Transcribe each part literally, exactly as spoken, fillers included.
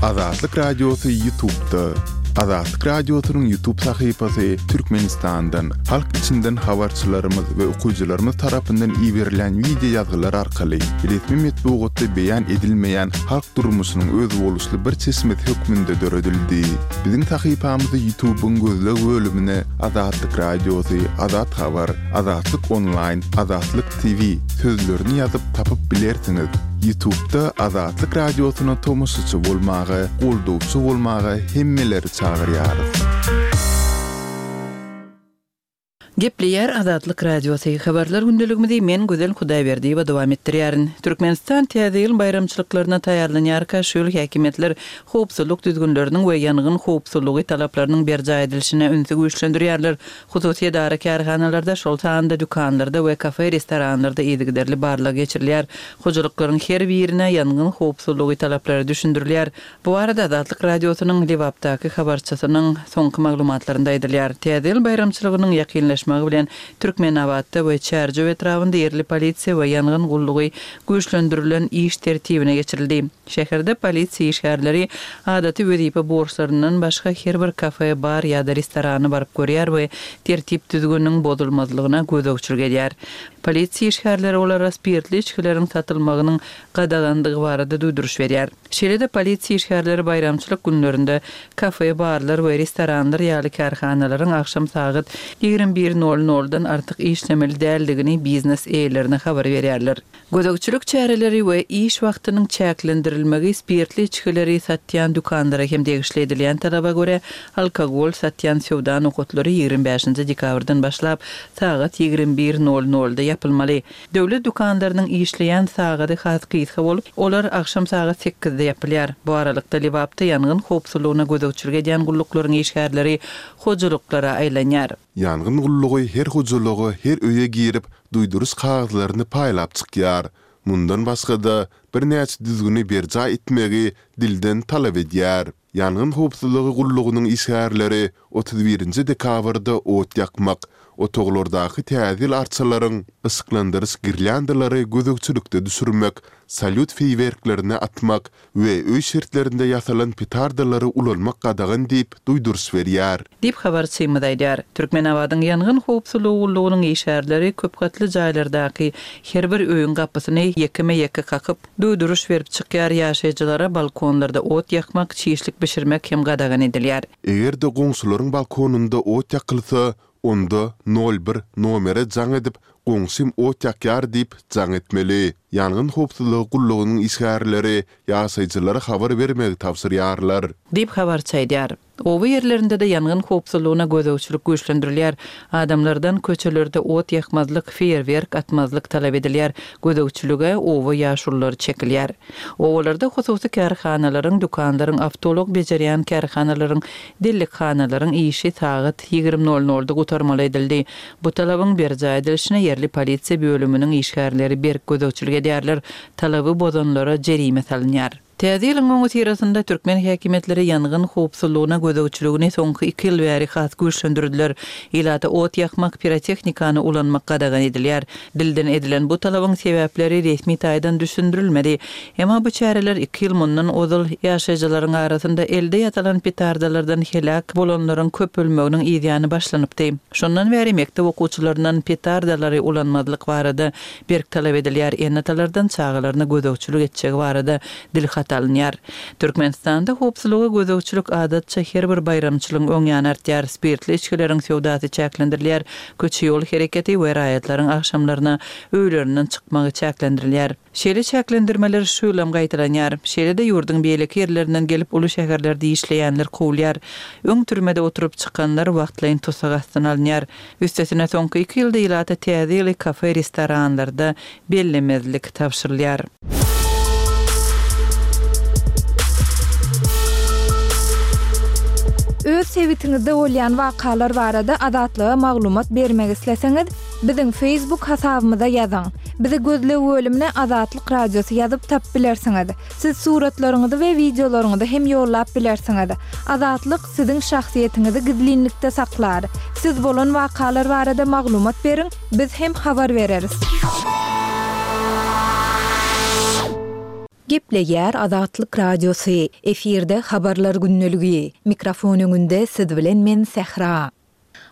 Azatlyk Radiosy YouTube'da. Azatlyk Radiosynyň YouTube sahypasy Türkmenistandan, halk içinden habarçylarymyz we okyjylarymyz tarapyndan iberilen wideo ýazgylar arkaly resmi metbugatda beýan edilmeýän halk durmuşynyň özboluşly bir çeşmesi hökmünde döredildi. Biziň sahypamyzy YouTube'yň gözleg bölümine Azatlyk Radiosy, Azat Habar, Azatlyk Online, Azatlyk T V sözlerini ýazyp tapyp bilersiňiz. YouTube'da Azatlyk Radiosyna tomaşaçy bolmaga, goldawçy bolmaga hemmeleri çagyrýarys. Gepleýär Azatlyk Radiosy. Habarlar gündeligimizi men Gözel Hudaýberdiýewa dowam etdirýärin. Türkmenistan Täze ýyl baýramçylyklaryna taýýarlanýarka şu ýyl häkimiýetler howpsuzlyk düzgünleriniň we ýangyn howpsuzlygy talaplarynyň berjaý edilişine ünsi güýçlendirýärler. Hususy edara kärhanalarda, şol sanda dükanlarda we kafe, restoranlarda yzygiderli barlag geçirilýär. Hojalyklaryň her birine ýangyn howpsuzlygy talaplary düşündirilýär. Bu barada Azatlyk Radiosynyň Lebapdaky habarçysynyň soňky maglumatlarynda aýdylýar. Täze ýyl baýramçylygynyň ýakynlaşmagy bilen Türkmenabatda we Çärjew etrabynda ýerli polisiýa we ýangyn gullugy güýçlendirilen iş tertibine geçirildi. Şäherde polisiýa işgärleri adaty wezipe borçlaryndan başga her bir kafe, bar ýa-da restorana baryp görýär we tertip düzgüniniň bozulmazlygyna gözegçilik edýär. Polisiýa işgärleri olara spirtli içgileriň satylmagynyň gadagandygy barada duýduryş berýär. Şeýle-de polisiýa işgärleri baýramçylyk günlerinde kafe, barlar we restoranlar ýaly kärhanalaryň agşam sagat ýigrimi bir nol noldan artyk işlemeli däldigini biznes eýelerine habar berýärler. Gözegçilik çäreleri we iş wagtynyň çäklendirilmegi spirtli içgileri satýan dükanlara hem degişli edilýän talaba görä alkogol satýan söwda nokatlary ýigrimi bäşinji dekabrdan başlap sagat ýigrimi bir nol nolda ýapylmaly. Döwlet dükanlarynyň işleýän sagady has gysga bolup, olar agşam sagat sekizde ýapylýar. Bu aralykda Lebapda ýangyn howpsuzlygyna gözegçilik edýän gulluklaryň işgärleri hojalyklara aýlanýar. Ýangyn gullugy her hojalyga, her öýe girip, duýduryş kagyzlaryny paýlap çykýar. Mundan başga-da birnäçe düzgüni berjaý etmegi dilden talap edýär. Ýangyn howpsuzlygy gullugynyň işgärleri otuz birinji dekabrda ot ýakmak, otaglardaky täze ýyl arçalaryň yşyklandyryş girlyandalary gözegçilikde düşürmek, salýut feýwerklerini atmak we öý şertlerinde ýasalan petardalary ulanmak gadagan diýip duýduryş berýär. Diýip habarçymyz aýdýar. Türkmenabadyň ýangyn howpsuzlygy gullugynyň işgärleri köp gatly jaýlardaky her bir öýüň gapysyny ýekeme-ýeke kakyp, duýduryş berip çykýar. Ýaşaýjylara balkonlarda ot ýakmak, çişlik bişirmek hem gadagan edilýär. Eger-de goňşularyň balkonynda ot ýakylsa, onda nol bir nomere jaň edip, goňşym ot ýakýar diýip jaň etmeli. Ýangyn howpsuzlygy gullugynyň işgärleri ýaşaýjylara habar bermegi tabşyrýarlar. Diýip habarçy aýdýar. Oba ýerlerinde-de ýangyn howpsuzlygyna gözegçilik güýçlendirilýär. Adamlardan köçelerde ot ýakmazlyk, feýerwerk atmazlyk talap edilýär. Gözegçilige oba ýaşululary çekilýär. Obalarda hususy kärhanalaryň, dükanlaryň, awtoulag bejerýän kärhanalaryň, dellikhanalaryň işi sagat ýigrimi nol nolda gutarmaly edildi. Bu talabyň berjaý edilişine ýerli polisiýa bölüminiň işgärleri berk gözegçilik edýärler. Talaby bozanlara jerime salynýar. Täze ýylyň öňüsyrasynda türkmen häkimiýetleri ýangyn howpsuzlygyna gözegçiligini soňky iki ýyl bäri has güýçlendirdiler. Ilata ot ýakmak, pirotehnikany ulanmak gadagan edilýär. Dilden edilen bu talabyň sebäpleri resmi taýdan düşündirilmedi. Emma bu çäreler iki ýyl mundan ozal ýaşaýjylaryň arasynda elde ýasalan petardalardan helak bolanlaryň köpelmeginiň ýany başlanypdy. Şondan bäri mekdep okuwçylaryndan petardalary ulanmazlyk barada berk talap edilýär. Ene-atalardan çagalaryna gözegçilik etjegi barada dilhat alynýar. Türkmenistanda howpsuzlyga gözegçilik adatça her bir baýramçylygyň öň ýany artýar. Spirtli içgileriň söwdasy çäklendirilýär. Köçe ýol hereketi we raýatlaryň agşamlaryna öýlerinden çykmagy çäklendirilýär. Şeýle çäklendirmeler şu ýylam gaýtalanýar. Şeýle-de ýurduň beýleki ýerlerinden gelip uly şäherlerde işleýänler kowulýar. Öň türmede oturyp çykanlar wagtlaýyn tussag astyna alynýar. Üstesine soňky iki ýylda ilata täze ýyly kafe, restoranlarda bellemezlik tabşyrylýar. Öz sebitiňizde bolýan wakalar barada Azatlyga maglumat bermek isleseňiz, biziň Facebook hasabymyza ýazyň. Bizi gözleg bölümine Azatlyk Radiosy ýazyp tapyp bilersiňiz. Siz suratlaryňyzy we wideolaryňyzy hem ýollap bilersiňiz. Azatlyk siziň şahsyýetiňizi gizlinlikde saklar. Siz bolan wakalar barada maglumat beriň, biz hem habar bereris. Gepleýär Azatlyk Radiosy, efirde Habarlar gündeligi. Mikrofon öňünde siz bilen men Sähra.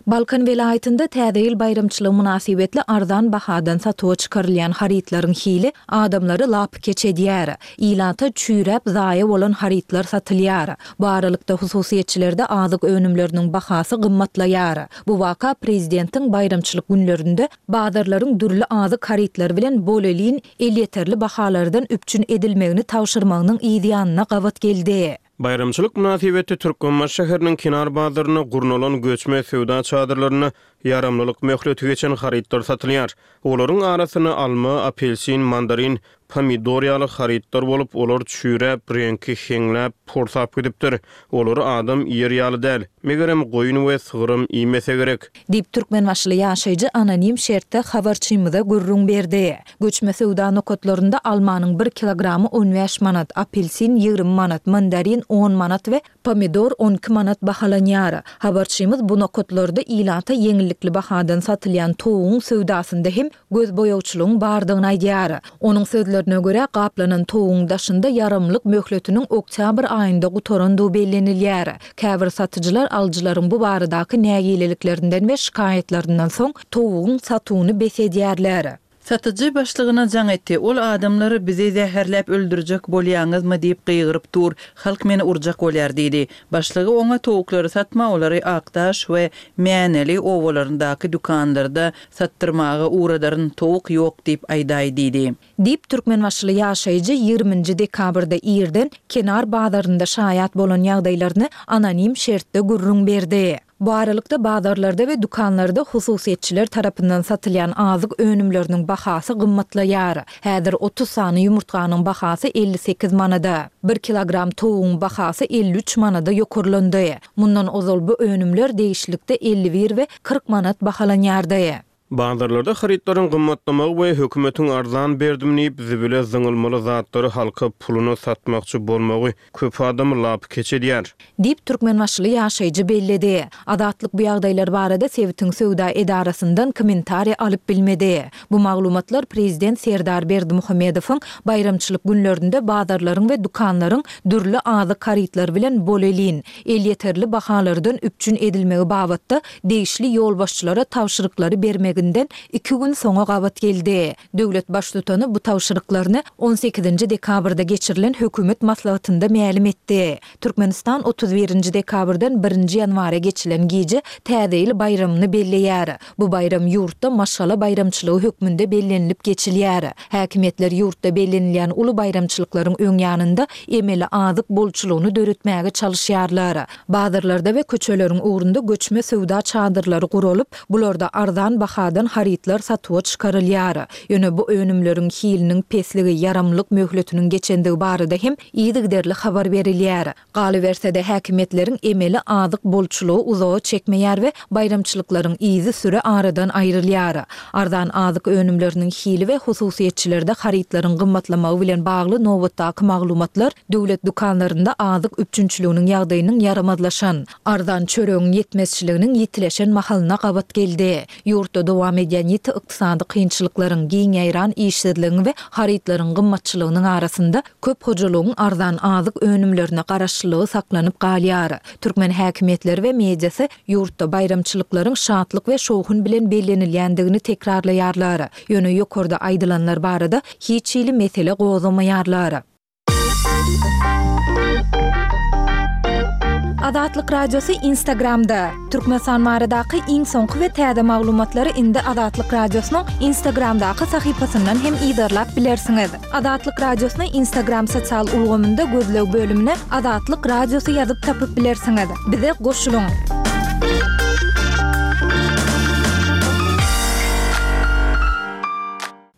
Balkan welaýatynda Täze ýyl baýramçylygy mynasybetli arzan bahadan satuwa çykarylýan harytlaryň hili adamlary lapykeç edýär. Ilata çüýräp zaýa bolan harytlar satylýar. Bu aralykda hususyýetçilerde azyk önümleriniň bahasy gymmatlaýar. Bu waka prezidentiň baýramçylyk günlerinde bazarlaryň dürli azyk harytlary bilen bolelin elýeterli bahalardan üpjün edilmegini tabşyrmagynyň yzýanyna gabat geldi. Baýramçylyk mynasybetli Türkmenbaşy şäheriniň Kenar bazarynda gurnalan göçme söwda çadyrlarynda ýaramlylyk möhleti geçen harytlar satylýar. Olaryň arasynda alma, apelsin, mandarin, pomidor ýaly harytlar bolup, olar çüýräp, reňki heňläp, porsap gidipdir. Olary adam iýer ýaly däl. Megerem, goýun we sygyram iýmese gerek. Diýip, türkmenbaşyly ýaşaýjy anonim şertde habarçymyza gürrüň berdi. Göçme söwda nokatlarynda almanyň bir kilogramy on bäş manat, apelsin ýigrimi manat, mandarin on manat we pomidor on iki manat bahalanýar. Habarçymyz bu nokatlarda ilata ýeňillikli bahadan satylýan towugyň söwdasynda hem gözboýagçylygyň bardygyny aýdýar. Onuň sözlerine görä, gaplanan towugyň daşynda ýaramlyk möhletiniň oktýabr aýynda gutarandygy bellenilýär. Käbir satyjylar alyjylaryň bu baradaky nägileliklerinden we şikaýatlaryndan soň towugyň satuwyny bes edýärler. Satyjy başlygyna jaň etdi. Ol adamlary bizi zäherläp öldürjek bolýaňyzmy diýip gygyryp dur. Halk meni urjak bolýar diýdi. Başlygy oňa towuklary satma, olary Akdaş we Mäneli obalaryndaky dükanlarda satdyrmaga ugradaryn, towuk ýok diýip aýdaý diýdi. Diýip, türkmenbaşyly ýaşaýjy ýigriminji dekabrda irden Kenar bazarynda şaýat bolan ýagdaýlaryny anonim şertde gürrüň berdi. Bu aralykda, bazarlarda we dükanlarda hususyýetçiler tarapyndan satylýan azyk önümleriniň bahasy gymmatlaýar. Häzir otuz sany ýumurtganyň bahasy elli sekiz manada, bir kilogram towugyň bahasy elli üç manada ýokarlandy. Mundan ozal bu önümler degişlilikde elli bir we kyrk manat bahalanýardy. Bazarlarda harytlaryň gymmatlamagy we hökümetiň arzan berdim diýip, zibile zyňylmaly zatlary halka puluna satmakçy bolmagy köp adamy lapykeç edýär. Diýip, türkmenbaşyly ýaşaýjy belledi. Azatlyk bu ýagdaýlar barada sebitiň söwda edarasyndan kommentariý alyp bilmedi. Bu maglumatlar prezident Serdar Berdimuhamedowyň baýramçylyk günlerinde bazarlaryň we dükanlaryň dürli azyk harytlary bilen bolelin, elýeterli bahalardan üpjün edilmegi babatda degişli ýolbaşçylara tabşyryklary bermeginden iki gün soňa gabat geldi. Döwlet Baştutany bu tabşyryklaryny on sekizinji dekabrda geçirilen hökümet maslahatynda mälim etdi. Türkmenistan otuz birinji dekabrdan birinji ýanwara geçilen gije Täze ýyl baýramyny belleýär. Bu baýram ýurtda maşgala baýramçylygy hökmünde bellenilip geçilýär. Häkimiýetler ýurtda bellenilýän uly baýramçylyklaryň öň ýanynda emeli azyk bolçulygyny döretmäge çalyşýarlar. Bazarlarda we köçeleriň ugrunda göçme söwda çadyrlary guralyp, bularda arzan bahadan harytlar satuwa çykarylýar. Ýöne bu önümleriň hiliniň pesligi, ýaramlyk möhletiniň geçendigi barada hem yzygiderli habar berilýär. Galyberse-de, häkimiýetleriň emeli azyk bolçulygy uzaga çekmeýär we baýramçylyklaryň yzysüre aradan aýrylýar. Arzan azyk önümleriniň hili we hususyýetçilerde harytlaryň gymmatlamagy bilen bagly nobatdaky maglumatlar döwlet dükanlarynda azyk üpjünçiliginiň ýagdaýynyň ýaramazlaşan, arzan çöregiň ýetmezçiliginiň ýitileşen mahalyna gabat geldi. Ýurtda dowam edýän ýiti ykdysady kynçylyklaryň, giň ýaýran işsizligiň we harytlaryň gymmatçylygynyň arasynda köp hojalygyň arzan azyk önümlerine garaşlylygy saklanyp galýar. Türkmen häkimiýetleri we mediasy ýurtda baýramçylyklaryň şatlyk we şowhun bilen bellenilýändigini tekrarlaýarlar. Ýöne ýokarda aýdylanlar barada hiç hili mesele gozgamaýarlar. Azatlyk Radiosy Instagramda. Türkmenistan baradaky iň soňky we täze maglumatlary indi Azatlyk Radiosynyň Instagramdaky sahypasyndan hem yzarlap bilersiňiz. Azatlyk Radiosyny Instagram sosial ulgamynda gözleg bölümine Azatlyk Radiosy ýazyp tapyp bilersiňiz. Bize goşulyň!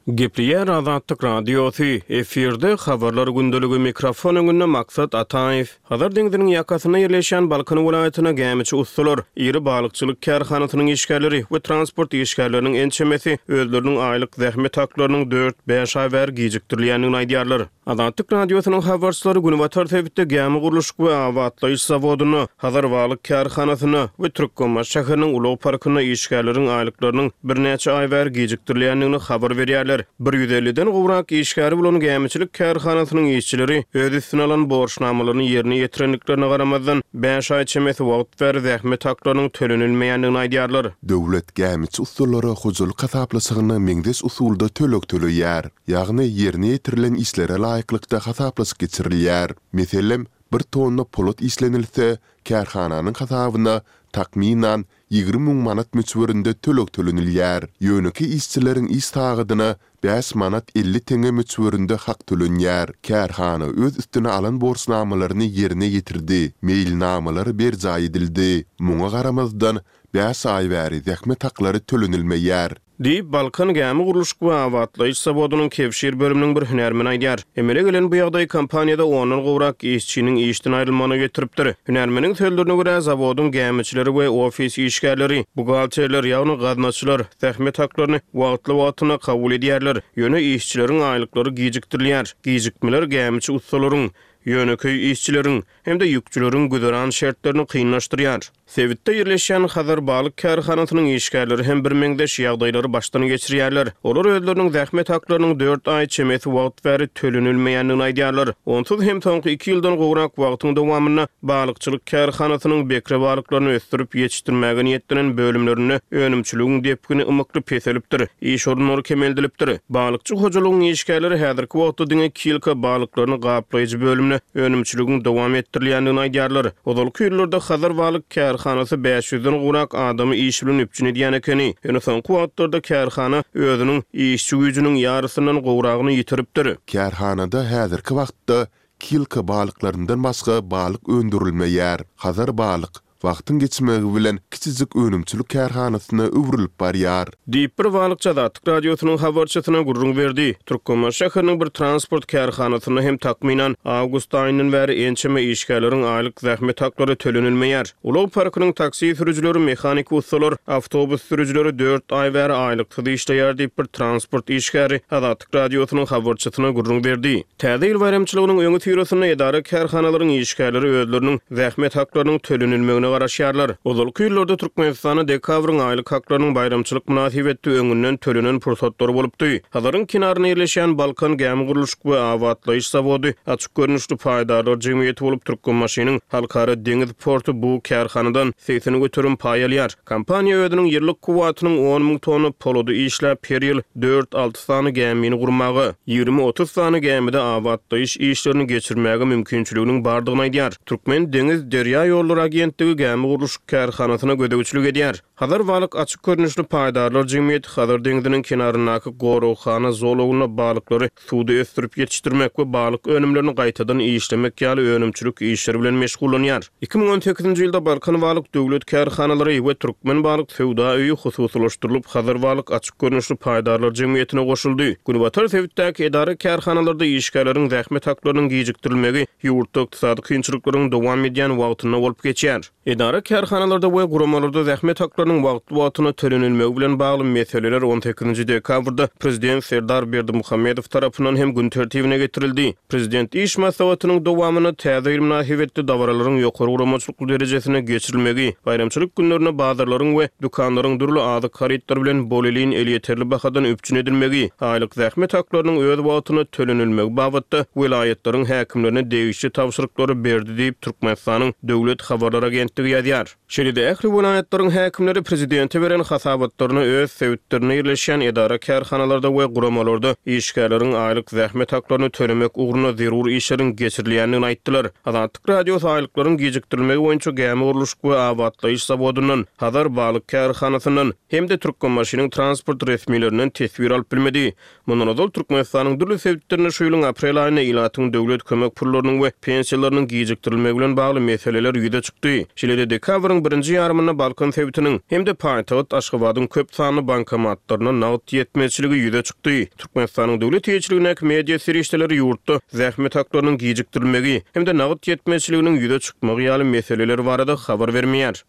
Gepleýär Azatlyk Radiosy, efirde Habarlar gündeligi, mikrofon öňünde Maksat Ataýew. Hazar deňziniň ýakasynda ýerleşýän Balkan welaýatyna gämiçi ussalar, iri balykçylyk kärhanasynyň işgärleri we transport işgärleriniň ençemesi özleriniň aýlyk zähmet haklarynyň dört-bäş aý bäri gijikdirilýändigini aýdýarlar. Azatlyk Radiosynyň habarçylary günbatar sebitde gämi gurluşyk we abatlaýyş zawodynda, Hazar balyk kärhanasynda we Türkmenbaşy şäheriniň ulag parkynda işgärleriň aýlyklarynyň birnäçe aý bäri gijikdirilýändigini habar berýärler. edýärler. Bir ýüz elliden gowrak işgäri bolan gämiçilik kärhanasynyň işçileri öz üstüne alan borçnamalaryny ýerine ýetirendiklerine garamazdan, bäş aý çemesi wagt bäri zähmet haklarynyň tölenilmeýändigini aýdýarlar. Döwlet gämiçi ussalara hojalyk hasaplaşygyna meňzeş usulda töleg töleýär. Ýagny ýerine ýetirilen işlere laýyklykda hasaplaşyk geçirilýär. Meselem, bir tonna polat işlenilse, kärhananyň hasabyna, takmynan, ýigrimi müň manat möçberinde töleg tölenilýär. Ýönekeý işçileriň iş sagadyna bäş manat elli teňňe möçberinde hak tölenýär. Kärhana öz üstüne alan borçnamalaryny ýerine ýetirdi, meýilnamalar berjaý edildi. Muňa garamazdan, bäş aý bäri zähmet haklary tölenilmeýär. Diýip, Balkan gämi gurluşyk we abatlaýyş zawodynyň kebşir bölüminiň bir hünärmeni aýdýar. Emele gelen bu ýagdaý kompaniýada ondan gowrak işçiniň işden aýrylmagyna getiripdir. Hünärmeniň sözlerine görä, zawodyň gämiçileri we ofis işgärleri, buhgalterler, ýagny gaznaçylar zähmet haklaryny wagtly-wagtynda kabul edýärler. Ýöne işçileriň aýlyklary gijikdirilýär. Gijikmeler gämiçi ussalaryň, ýönekeý işçileriň hem-de ýükçüleriň güzeran şertlerini kynlaşdyrýar. Sebitde ýerleşýän Hazar balyk kärhanasynyň işgärleri hem birmeňzeş ýagdaýlary başdan geçirýärler. Olar özleriniň zähmet haklarynyň dört aý çemesi wagt bäri tölenilmeýändigini aýdýarlar. Onsuz hem soňky iki ýyldan gowrak wagtyň dowamynda balykçylyk kärhanasynyň bekre balyklaryny ösdürip ýetişdirmäge niýetlenen bölümlerinde önümçiligiň depgini ymykly peselipdir, iş orunlary kemeldilipdir. Balykçy hojalygyň işgärleri häzirki wagtda diňe kilka balyklaryny gaplaýjy bölümde önümçiligiň dowam etdirilýändigini aýdýarlar. Ozalky ýyllarda Hazar balyk kärhanasy bäş ýüzden gowrak adamy iş bilen üpjün edýän ekeni. Ýöne soňky wagtlarda kärhana özüniň işçi güýjüniň ýarysyndan gowragyny ýitiripdir. Kärhanada häzirki wagtda kilka balyklaryndan başga balyk öndürilmeýär. Hazar balyk wagtyň geçmegi bilen kiçijik önümçilik kärhanasyna öwrülip barýar. Diýip, bir balykçy Azatlyk Radiosynyň habarçysyna gürrüň berdi. Türkmenbaşy şäheriniň bir transport kärhanasynda hem takmynan awgust aýyndan bäri ençeme işgärleriň aýlyk zähmet haklary tölenilmeýär. Ulag parkynyň taksi sürüjileri, mehanik ussalar, awtobus sürüjileri dört aý bäri aýlyksyz işleýär diýip, bir transport işgäri Azatlyk Radiosynyň habarçysyna gürrüň berdi. Täze ýyl baýramçylygynyň öňüsyrasynda edara-kärhanalaryň işgärleri özleriniň zähmet haklarynyň tölenilmegine garaşýarlar. Ozalky ýyllarda Türkmenistanda dekabryň aýlyk haklarynyň baýramçylyk mynasybetli öňünden tölenen pursatlary bolupdy. Hazaryň kenarynda ýerleşýän Balkan gämi gurluşyk we abatlaýyş zawody açyk görnüşli paýdarlar jemgyýeti bolup, Türkmenbaşynyň Halkara deňiz porty bu kärhanadan segsen göterim paý alýar. Kompaniýa özüniň ýyllyk kuwwatynyň on müň tonna polady işläp, her ýyl dört-alty sany gämini gurmaga, ýigrimi-otuz sany gämide abatlaýyş işlerini geçirmäge mümkinçiliginiň bardygyny aýdýar. Türkmen deňiz derýa ýollary agentligi gämi gurluşyk kärhanasyna gözegçilik edýär. Hazar balyk açyk görnüşli paýdarlar jemgyýeti Hazar deňziniň kenaryndaky goraghana zolagynda balyklary suwda ösdürip ýetişdirmek we balyk önümlerini gaýtadan işlemek ýaly önümçilik işleri bilen meşgullanýar. Iki müň on sekizinji ýylda Balkan balyk döwlet kärhanalary we Türkmen balyk söwda öýi hususylaşdyrylyp, Hazar balyk açyk görnüşli paýdarlar jemgyýetine goşuldy. Günbatar sebitdäki edara-kärhanalarda işgärleriň zähmet haklarynyň gijikdirilmegi ýurtda ykdysady kynçylyklaryň dowam edýän wagtynda bolup geçýär. Edara-kärhanalarda we guramalarda zähmet haklarynyň wagtly-wagtynda tölenilmegi bilen bagly meseleler on sekizinji dekabrda Prezident Serdar Berdimuhamedow tarapyndan hem gün tertibine getirildi. Prezident iş maslahatynyň dowamynda täze ýyl mynasybetli dabaralaryň ýokary guramaçylykly derejesinde geçirilmegi, baýramçylyk günlerinde bazarlaryň we dükanlaryň dürli azyk harytlary bilen bolelin elýeterli bahadan üpjün edilmegi, aýlyk zähmet haklarynyň öz wagtynda tölenilmegi babatda welaýatlaryň häkimlerine degişli tabşyryklary berdi diýip, Türkmenistanyň Döwlet habarlar agentligi ýazýar. Şeýle-de ähli welaýatlaryň häkimleri prezidente beren hasabatlaryna öz sebitlerinde ýerleşýän edara-kärhanalarda we guramalarda işgärleriň aýlyk zähmet haklaryny tölemek ugrunda zerur işleriň geçirilýändigini aýtdylar. Azatlyk Radiosy aýlyklaryň gijikdirilmegi boýunça gämi gurluşyk we abatlaýyş zawodyndan, Hazar balyk kärhanasyndan hem-de Türkmenbaşynyň transport resmilerinden teswir alyp bilmedi. Mundan ozal Türkmenistanyň dürli sebitlerinde şu ýylyň aprel aýynda ilatyň döwlet kömek pullarynyň we pensiýalarynyň gijikdirilmegi bilen bagly meseleler ýüze çykdy. Şeýle-de dekabryň birinji ýarymynda Balkan sebitiniň hem-de paýtagt Aşgabadyň köp sanly bankomatlarynda nagt ýetmezçiligi ýüze çykdy. Türkmenistanyň döwlet eýeçiligindäki media serişdeleri ýurtda zähmet haklarynyň gijikdirilmegi hem-de nagt ýetmezçiliginiň ýüze çykmagy ýaly meseleler barada habar bermeýär.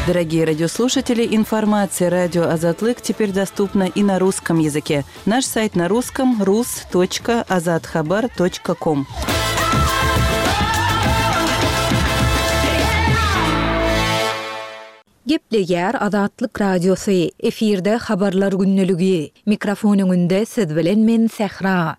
Дорогие радиослушатели, информация радио Азатлык теперь доступна и на русском языке. Наш сайт на русском рус точка азатхабар точка ком. Gepleýär Azatlyk Radiosy, efirde Habarlar gündeligi. Mikrofon öňünde siz bilen men Sähra.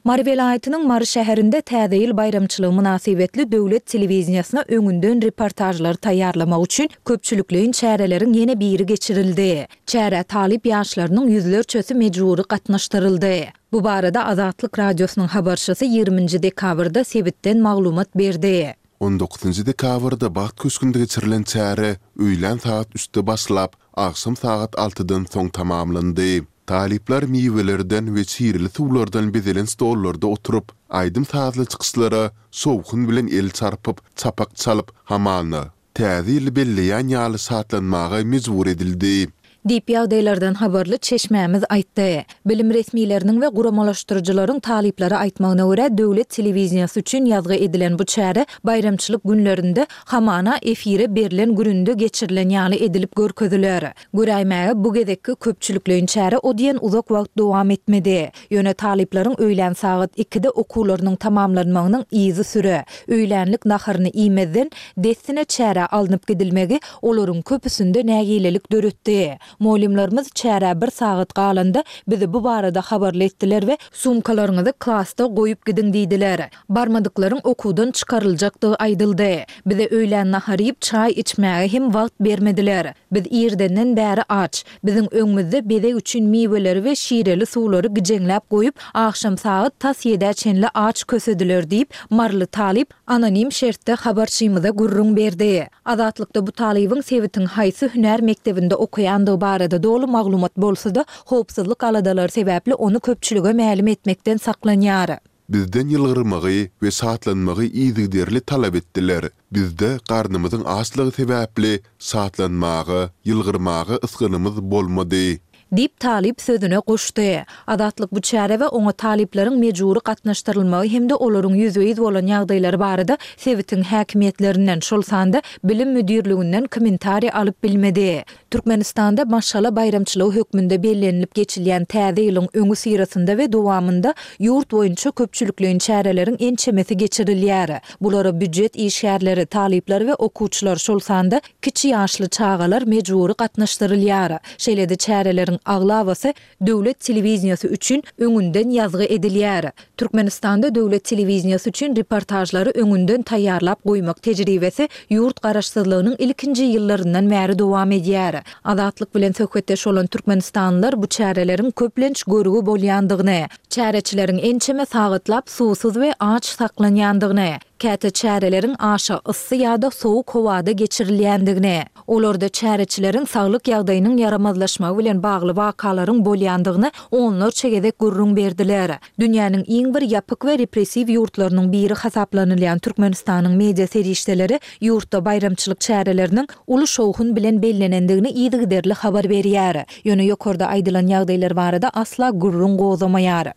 Mary welaýatynyň Mary şäherinde Täze ýyl baýramçylygy mynasybetli döwlet telewideniýesine öňünden reportažlary taýýarlamak üçin köpçülikleýin çäreleriň ýene biri geçirildi. Çärä talyp ýaşlarynyň ýüzlerçesi mejbury gatnaşdyryldy. Bu barada Azatlyk Radiosynyň habarçysy ýigrimi nji dekabrda sebitden maglumat berdi. On dokuzynjy dekabrda Bagt köşgünde geçirilen çäre öýlän sagat üçde başlap, agşam sagat altydan soň tamamlandy. Talyplar miwelerden we şireli suwlardan bezelen stollarda oturyp, aýdym-sazly çykyşlara şowhun bilen el çarpyp, çapak çalyp, hamana, Täze ýyly belleýän ýaly şatlanmaga mejbur edildi. Diýip, ýagdaýlardan habarly çeşmämiz aýtdy. Bilim resmileriniň we guramalaşdyryjylaryň talyplara aýtmagyna görä, döwlet telewideniýesi üçin ýazgy edilen bu çäre baýramçylyk günlerinde hamana efire berlen gününde geçirilen ýaly edilip görkeziler. Göräýmäge, bu gezekki köpçülikleýin çäre o diýen uzak wagt dowam etmedi. Ýöne talyplaryň öýlän sagat ikide okuwlarynyň tamamlanmagynyň yzysüre, öýlänlik naharyny iýmezden, dessine çärä alnyp gidilmegi olaryň köpüsinde nägilelik döretdi. Mugallymlarymyz çärä bir sagat galanda bizi bu barada habarly etdiler we sumkalaryňyzy klasda goýup gidiň diýdiler. Barmadyklaryň okuwdan çykaryljakdygy aýdyldy. Bize öýlän nahar iýip, çaý içmäge hem wagt bermediler. Biz irdenden bäri aç. Biziň öňümizde bezeg üçin miweleri we şireli suwlary gijeňläp goýup, agşam sagat tas ýedä çenli aç kösediler diýip, maryly talyp anonim şertde habarçymyza gürrüň berdi. Azatlykda bu talybyň sebitiň haýsy hünär mekdebinde okaýandygy barada doly maglumat bolsa-da, howpsuzlyk aladalary sebäpli ony köpçülige mälim etmekden saklanýar. Bizden ýylgyrmagy we şatlanmagy yzygiderli talap etdiler. Bizde garnymyzyň açlygy sebäpli şatlanmaga, ýylgyrmaga ysgynymyz bolmady. Diýip, talyp sözüne goşdy. Azatlyk bu çärä we oňa talyplaryň mejbury gatnaşdyrylmagy hem-de olaryň ýüzbe-ýüz bolan ýagdaýlary barada sebitiň häkimiýetlerinden, şol sanda bilim müdirliginden kommentariý alyp bilmedi. Türkmenistanda maşgala baýramçylygy hökmünde bellenilip geçilýän Täze ýylyň öňüsyrasynda we dowamynda ýurt boýunça köpçülikleýin çäreleriň ençemesi geçirilýär. Bulara býujet işgärleri, talyplar we okuwçylar, şol sanda kiçi ýaşly çagalar mejbury gatnaşdyrylýar. Şeýle-de çäreleriň aglabasy döwlet telewideniýesi üçin öňünden ýazgy edilýär. Türkmenistanda döwlet telewideniýesi üçin reportažlary öňünden taýýarlap goýmak tejribesi ýurt garaşsyzlygynyň ilkinji ýyllaryndan bäri dowam edýär. Azatlyk bilen söhbetdeş bolan türkmenistanlylar bu çäreleriň köplenç görgi bolýandygyny, çäreçileriň ençeme sagatlap suwsuz we aç saklanýandygyny, käte çäreleriň aşa yssy ýa-da sowuk howada geçirilýändigini, olarda çäreçileriň saglyk ýagdaýynyň ýaramazlaşmagy bilen bagly wakalaryň bolýandygyny onlarça gezek gürrüň berdiler. Dünýäniň iň bir ýapyk we repressiw ýurtlarynyň biri hasaplanylýan Türkmenistanyň media serişdeleri ýurtda baýramçylyk çäreleriniň uly şowhun bilen bellenendigini yzygiderli habar berýär. Ýöne ýokarda aýdylan ýagdaýlar barada asla gürrüň gozamaýar.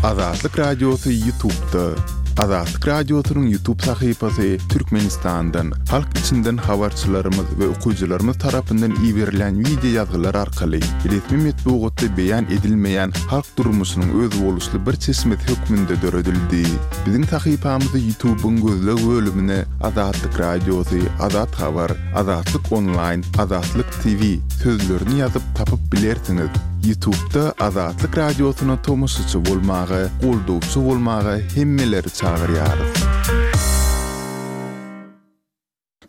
Azatlyk Radiosy YouTube'da. Azatlyk Radiosynyň YouTube sahypasy Türkmenistandan, halk içinden habarçylarymyz we okyjylarymyz tarapyndan iberilýän wideo ýazgylar arkaly resmi metbugatda beýan edilmeýän halk durmuşynyň özboluşly bir çeşmesi hökmünde döredildi. Biziň sahypamyzy YouTube'yň gözleg bölümine Azatlyk Radiosy, Azat Habar, Azatlyk Onlaýn, Azatlyk T V sözlerini ýazyp tapyp bilersiňiz. YouTube'da Azatlyk Radiosyna tomaşaçy bolmaga, goldawçy bolmaga hemmeleri çagyrýarys.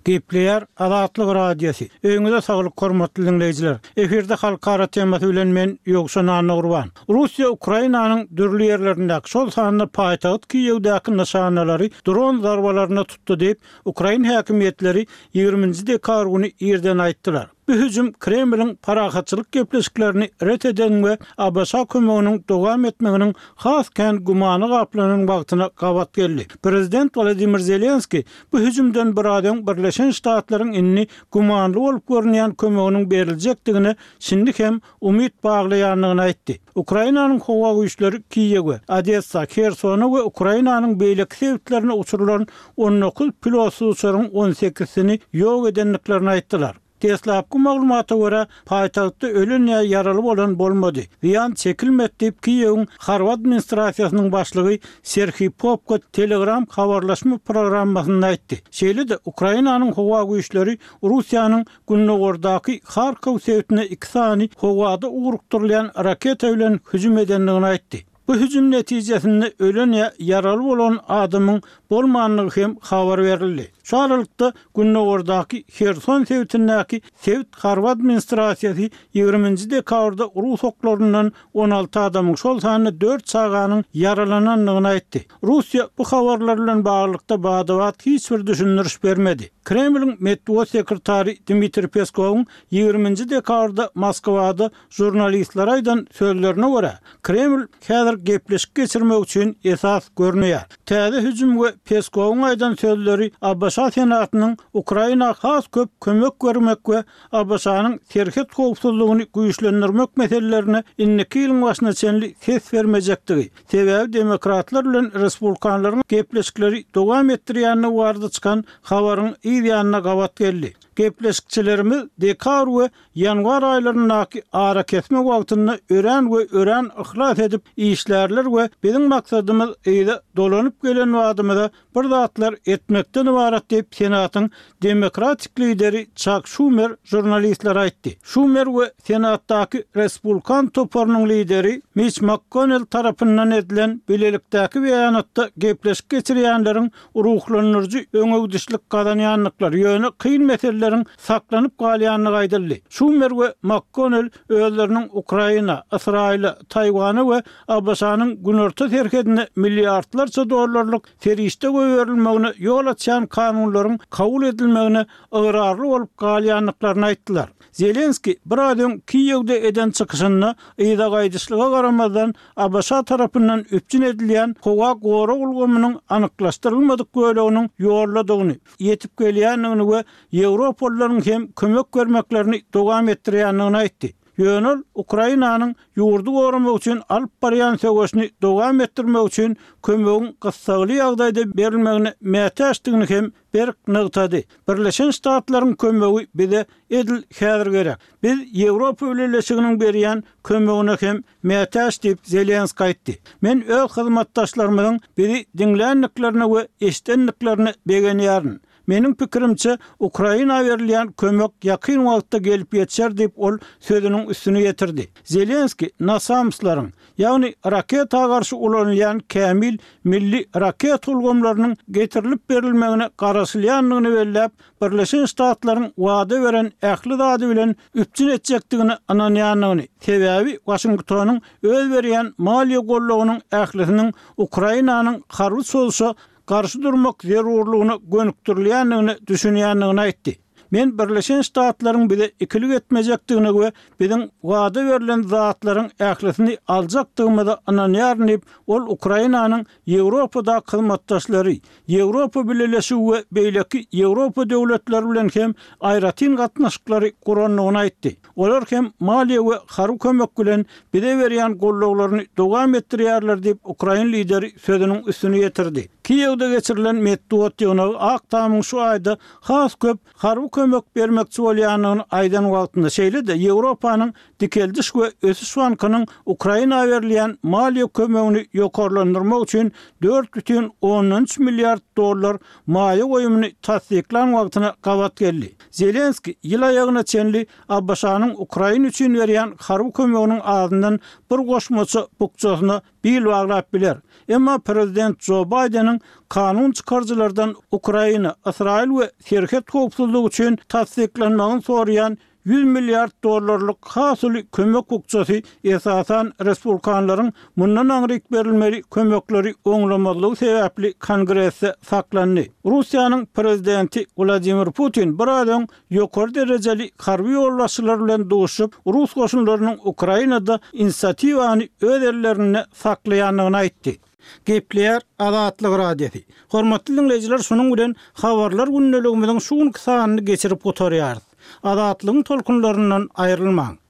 Gepleýär Azatlyk Radiosy. Öýüňize saglyk hormatly diňleýjiler. Efirde halkara temasy bilen men Ýowşan Annagurban. Russiýa Ukrainanyň dürli ýerlerindäki, şol sanda paýtagt Kiýewdäki nyşanalary dron zarbalaryna tutdy diýip, ukrain häkimiýetleri ýigrimi nji dekabr güni irden aýtdylar. Bu hüjüm Kremliň parahatçylyk gepleşiklerini ret eden we A B Ş kömeginiň dowam etmeginiň has kän gümana gaplanan wagtyna gabat geldi. Prezident Wladimir Zelenskiý bu hüjümden biraz öň Birleşen Ştatlaryň indi gümanly bolup görünýän kömeginiň beriljekdigine şindi hem umyt baglaýandygyny aýtdy. Ukrainanyň howa güýçleri Kiýewe, Odessa, Hersona we Ukrainanyň beýleki sebitlerine uçurylan on dokuz pilotsyz uçaryň on sekizsini ýok edendiklerini aýtdylar. Deslapky maglumata görä, paýtagtda ölen ýa ýaraly bolan bolmady. Zyýan çekilmedi diýip, Kiýewiň harby administrasiýasynyň başlygy Serhiý Popko Telegram habarlaşma programmasynda aýtdy. Şeýle-de, Ukrainanyň howa güýçleri Russiýanyň gündogardaky Harkow sebitine iki sany howada ugrukdyrylýan raketa bilen hüjüm edendigini aýtdy. Bu hüjüm netijesinde ölen ýa ýaraly bolan adamyň bolmandygy hem habar berildi. Şu aralykda, gündogardaky Herson sebitindäki sebit harby administrasiýasy ýigrimi nji dekabrda rus oklaryndan on alty adamyň, şol sanda dört çaganyň ýaralanandygyny aýtdy. Russiýa bu habarlar bilen baglylykda bada-bat hiç bir düşündiriş bermedi. Kremliň metbugat sekretary Dmitriý Peskowyň ýigrimi nji dekabrda Moskwada žurnalistlere aýdan sözlerine görä, Kreml häzir gepleşik geçirmek üçin esas görmeýär. Täze hüjüm we Peskowyň aýdan sözleri ABŞ Senatynyň Ukraina has köp kömek bermek we ABŞ-nyň serhet howpsuzlygyny güýçlendirmek meselelerine indiki ýylyň başyna çenli ses bermejekdigi, sebäbi demokratlar bilen respublikanlaryň gepleşikleri dowam etdirýändigi barada çykan habaryň yz ýanyna gabat geldi. Gepleşikçilerimiz dekabr we ýanwar aýlaryndaky arakesme wagtynda örän we örän yhlas edip işlärler we biziň maksadymyz yza dolanyp gelen badymyza bir zatlar etmekden ybarat diýip, Senatyň demokratik lideri Çak Şumer žurnalistlere aýtdy. Şumer we Senatdaky respublikan toparynyň lideri Miç MakKonnel tarapyndan edilen bilelikdäki beýanatda gepleşik geçirýänleriň ruhlandyryjy öňegidişlik gazanýandyklary, ýöne kyn meseleleriň saklanyp galýandygy aýdyldy. Şumer we MakKonnel özleriniň Ukraina, Ysraýyla, Taýwana we ABŞ-nyň günorta serhedine milliardlarça dollarlyk serişde goýberilmegine ýol açýan kanunlaryň kabul edilmegine ygrarly bolup galýandyklaryny aýtdylar. Zelenskiý biraz öň Kiýewde eden çykyşynda yza gaýdyşlyga garamazdan, ABŞ tarapyndan üpjün edilýän howa gorag ulgamynyň anyklaşdyrylmadyk böleginiň ýoldadygyny, ýetip gelýändigini we ýewropalylaryň hem kömek bermeklerini dowam etdirýändigini aýtdy. Ýöne ol Ukrainanyň ýurdy goramak üçin alyp barýan söweşini dowam etdirmek üçin kömegiň gyssagly ýagdaýda berilmegine mätäçdigini hem berk nygtady. Birleşen Ştatlaryň kömegi bize edil häzir gerek. Biz Ýewropa Bileleşiginiň berýän kömegine hem mätäç diýip, Zelenskiý aýtdy. Men öz hyzmatdaşlarymyzyň bizi diňländiklerine we eşidendiklerine begenýärin. Meniň pikirimçe, Ukraina berilýän kömek ýakyn wagtda gelip ýetişer diýip, ol sözüniň üstüni ýetirdi. Zelenskiý NASAMS-laryň, ýagny raketa garşy ulanylýan kämil milli raketa ulgamlarynyň getirilip berilmegine garaşylýandygyny belläp, Birleşen Ştatlaryň wada beren ähli zady bilen üpjün etjekdigine ynanýandygyny, sebäbi Waşingtonyň öz berýän maliýe goldawynyň ählisiniň Ukrainanyň harby çozuşa garşy durmak zerurlygyna gönükdirilýändigine düşünýändigini aýtdy. Men Birleşen Ştatlaryň bize ikilik etmejekdigine we biziň wada berlen zatlaryň ählisini aljakdygymyza ynanýaryn diýip, ol Ukrainanyň Ýewropadaky hyzmatdaşlary, Ýewropa Bileleşigi we beýleki Ýewropa döwletleri bilen hem aýratyn gatnaşyklary gurandygyny aýtdy. Olar hem maliýe we harby kömek bilen bize berýän goldawlaryny dowam etdirýärler diýip, ukrain lideri sözüniň üstüni ýetirdi. Kiýewde geçirilen metbugat ýygnagy Ak Tamyň şu aýda has köp harby kömek bermekçi bolýandygyny aýdan wagtynda, şeýle-de Ýewropanyň Dikeldiş we ösüş bankynyň Ukraina berilýän maliýe kömegini ýokarlandyrmak üçin dört bütin ondan üç milliard dollar maýa goýumyny tassyklan wagtyna gabat geldi. Zelenskiý ýyl aýagyna çenli ABŞ-nyň Ukraina üçin berýän harby kömeginiň azyndan bir goşmaça bukjasyna bil baglap biler. Emma prezident Jo Baýdeniň kanun çykaryjylardan Ukraina, Ysraýyl we serhet howpsuzlygy üçin tassyklanmagyny soraýan ýüz milliard dollarlyk has uly kömek bukjasy esasan respublikanlaryň mundan aňryk berilmeli kömekleri oňlamazlygy sebäpli Kongresde saklandy. Russiýanyň prezidenti Wladimir Putin biraz öň ýokary derejeli harby ýolbaşçylar bilen duşup, rus goşunlarynyň Ukrainada inisiatiwany öz ellerinde saklaýandygyny aýtdy. Gepleýär Azatlyk Radiosy. Hormatly diňleýjiler, şunuň bilen Habarlar gündeligimiziň şu günki sanyny geçirip gutarýarys. Azatlygyň tolkunlaryndan aýrylmaň!